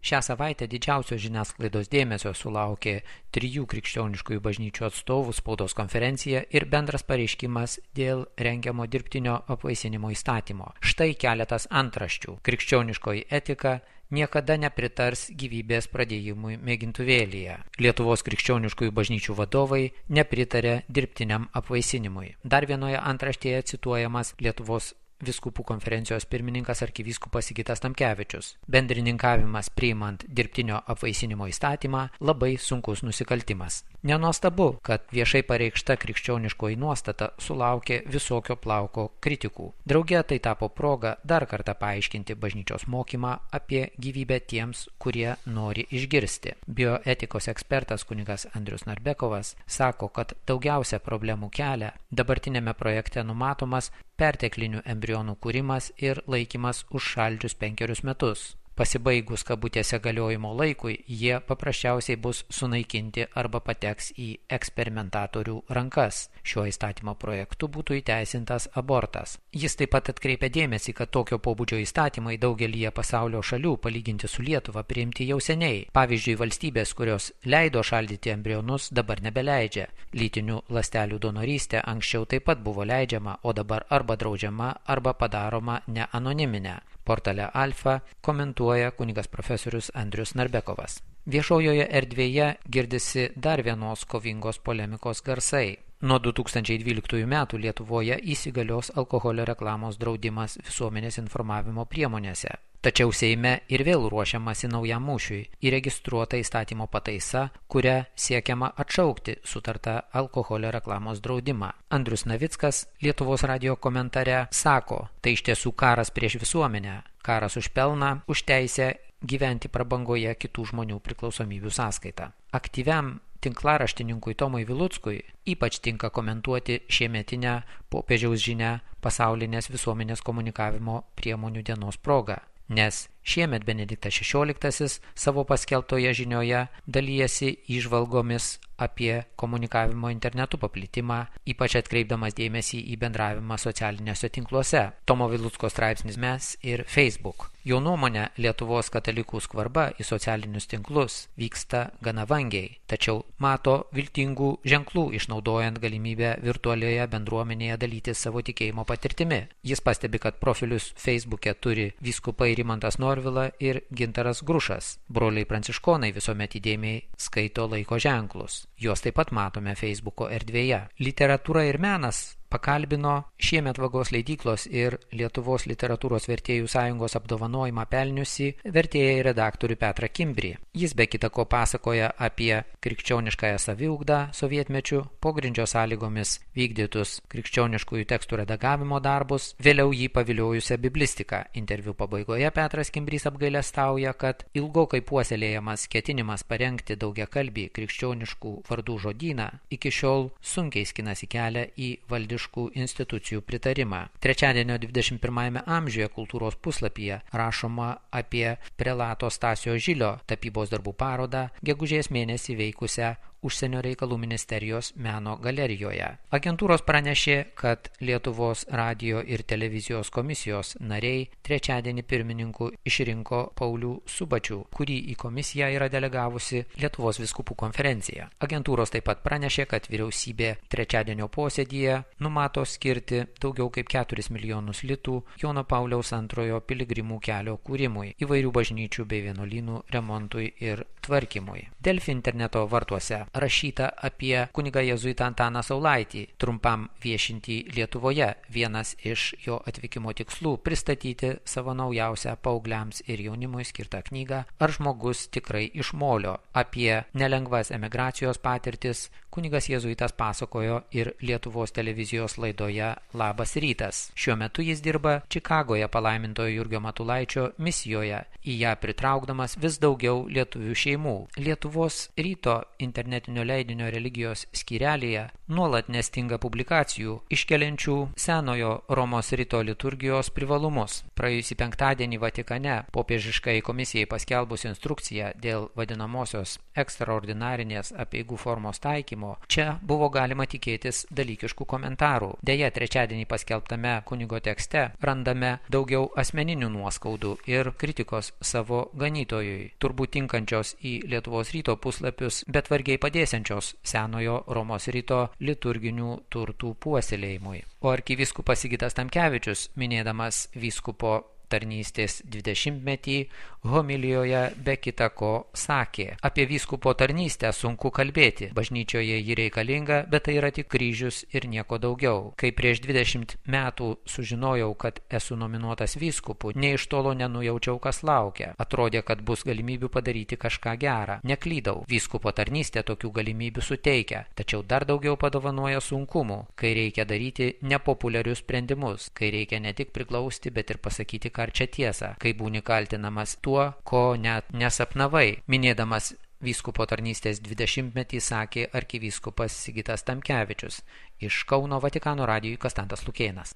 Šią savaitę didžiausio žiniasklaidos dėmesio sulaukė 3 krikščioniškųjų bažnyčių atstovų spaudos konferencija ir bendras pareiškimas dėl rengiamo dirbtinio apvaisinimo įstatymo. Štai keletas antraščių. Krikščioniškoji etika niekada nepritars gyvybės pradėjimui mėgintuvėlyje. Lietuvos krikščioniškųjų bažnyčių vadovai nepritarė dirbtiniam apvaisinimui. Dar vienoje antraštėje cituojamas Lietuvos Vyskupų konferencijos pirmininkas arkivyskupas Sigitas Tamkevičius. Bendrininkavimas priimant dirbtinio apvaisinimo įstatymą labai sunkus nusikaltimas. Nenuostabu, kad viešai pareikšta krikščioniškoji nuostata sulaukė visokio plauko kritikų. Drauge tai tapo proga dar kartą paaiškinti bažnyčios mokymą apie gyvybę tiems, kurie nori išgirsti. Bioetikos ekspertas kunigas Andrius Narbekovas sako, kad daugiausia problemų kelia dabartinėme projekte numatomas perteklinių embrionų kūrimas ir laikymas užšaldžius 5 metus. Pasibaigus kabutėse galiojimo laikui, jie paprasčiausiai bus sunaikinti arba pateks į eksperimentatorių rankas. Šiuo įstatymo projektu būtų įteisintas abortas. Jis taip pat atkreipia dėmesį, kad tokio pobūdžio įstatymai daugelyje pasaulio šalių palyginti su Lietuva priimti jau seniai. Pavyzdžiui, valstybės, kurios leido šaldyti embrionus, dabar nebeleidžia. Lytinių ląstelių donorystė anksčiau taip pat buvo leidžiama, o dabar arba draudžiama, arba padaroma neanoniminė. Portale Alfa komentuoja kunigas profesorius Andrius Narbekovas. Viešojoje erdvėje girdisi dar vienos kovingos polemikos garsai. Nuo 2012 metų Lietuvoje įsigalios alkoholio reklamos draudimas visuomenės informavimo priemonėse. Tačiau Seime ir vėl ruošiamasi naujam mūšiui įregistruota įstatymo pataisa, kuria siekiama atšaukti sutartą alkoholio reklamos draudimą. Andrius Navickas Lietuvos radijo komentare sako, tai iš tiesų karas prieš visuomenę, karas už pelną, už teisę gyventi prabangoje kitų žmonių priklausomybių sąskaita. Aktyviam tinklaraštininkui Tomui Viluckui ypač tinka komentuoti šiemetinę popiežiaus žinią pasaulinės visuomenės komunikavimo priemonių dienos proga, nes šiemet Benediktas XVI savo paskelbtoje žinioje dalijasi įžvalgomis apie komunikavimo internetu paplitimą, ypač atkreipdamas dėmesį į bendravimą socialiniuose tinkluose. Tomo Vilucko straipsnis Mes ir Facebook. Jo nuomonė, Lietuvos katalikų skvarba į socialinius tinklus vyksta gana vangiai, tačiau mato viltingų ženklų išnaudojant galimybę virtualioje bendruomenėje dalyti savo tikėjimo patirtimi. Jis pastebi, kad profilius Facebook'e turi vyskupai Rimantas Norvila ir Gintaras Grušas. Broliai pranciškonai visuomet įdėmiai skaito laiko ženklus. Juos taip pat matome Facebooko erdvėje. Literatūra ir menas pakalbino šiemet Vagos leidyklos ir Lietuvos literatūros vertėjų sąjungos apdovanojimą pelniusi vertėją ir redaktorių Petrą Kimbrį. Jis be kita ko pasakoja apie krikščioniškąją saviugdą sovietmečiu, pogrindžio sąlygomis vykdytus krikščioniškųjų tekstų redagavimo darbus, vėliau jį paviliojusią biblistiką. Interviu pabaigoje Petras Kimbrys apgailestauja, kad ilgokai puoselėjamas ketinimas parengti daugiakalbį krikščioniškų vardų žodyną iki šiol sunkiai skinasi kelią į valdiškų institucijų pritarimą. Trečiadienio 21 amžiuje kultūros puslapyje rašoma apie prelato Stasio Žilio tapybos darbų parodą gegužės mėnesį veikusią Užsienio reikalų ministerijos meno galerijoje. Agentūros pranešė, kad Lietuvos radijo ir televizijos komisijos nariai trečiadienį pirmininku išrinko Paulių Subačių, kurį į komisiją yra delegavusi Lietuvos vyskupų konferencija. Agentūros taip pat pranešė, kad vyriausybė trečiadienio posėdyje numato skirti daugiau kaip 4 milijonus litų Jono Pauliaus II piligrimų kelio kūrimui, įvairių bažnyčių bei vienuolynų remontui ir tvarkymui. Delfi interneto vartuose rašyta apie kunigą jėzuitą Antaną Saulaitį, trumpam viešinti Lietuvoje. Vienas iš jo atvykimo tikslų pristatyti savo naujausią paaugliams ir jaunimui skirtą knygą Ar žmogus tikrai iš molio. Apie nelengvas emigracijos patirtis kunigas jėzuitas pasakojo ir Lietuvos televizijos laidoje Labas rytas. Šiuo metu jis dirba Čikagoje palaimintojo Jurgio Matulaičio misijoje, į ją pritraukdamas vis daugiau lietuvių šeimų. Lietuvos ryto internetinėje internetinio leidinio religijos skyrelyje nuolat nestinga publikacijų iškeliančių senojo Romos rito liturgijos privalumus. Praėjusį penktadienį Vatikane popiežiškai komisijai paskelbus instrukciją dėl vadinamosios ekstraordinarinės apeigų formos taikymo, čia buvo galima tikėtis dalykiškų komentarų. Deja, trečiadienį paskelbtame kunigo tekste randame daugiau asmeninių nuoskaudų ir kritikos savo ganytojui, turbūt tinkančios į Lietuvos ryto puslapius, bet vargiai padėsiančios senojo Romos rito liturginių turtų puoselėjimui. O arkivyskupas Sigitas Tamkevičius, minėdamas vyskupo tarnystės 20-metį, homilijoje be kita ko sakė: apie vyskupo tarnystę sunku kalbėti, bažnyčioje ji reikalinga, bet tai yra tik kryžius ir nieko daugiau. Kai prieš 20 metų sužinojau, kad esu nominuotas vyskupu, nė iš tolo nenujaučiau, kas laukia. Atrodė, kad bus galimybių padaryti kažką gerą. Neklydau, vyskupo tarnystė tokių galimybių suteikia, tačiau dar daugiau padovanoja sunkumų, kai reikia daryti nepopuliarius sprendimus, kai reikia ne tik priglausti, bet ir pasakyti karčią tiesą, kai būni kaltinamas tuo, ko net nesapnavai. Minėdamas vyskupo tarnystės 20-metį sakė arkivyskupas Sigitas Tamkevičius. Iš Kauno Vatikano radijui Konstantas Lukėnas.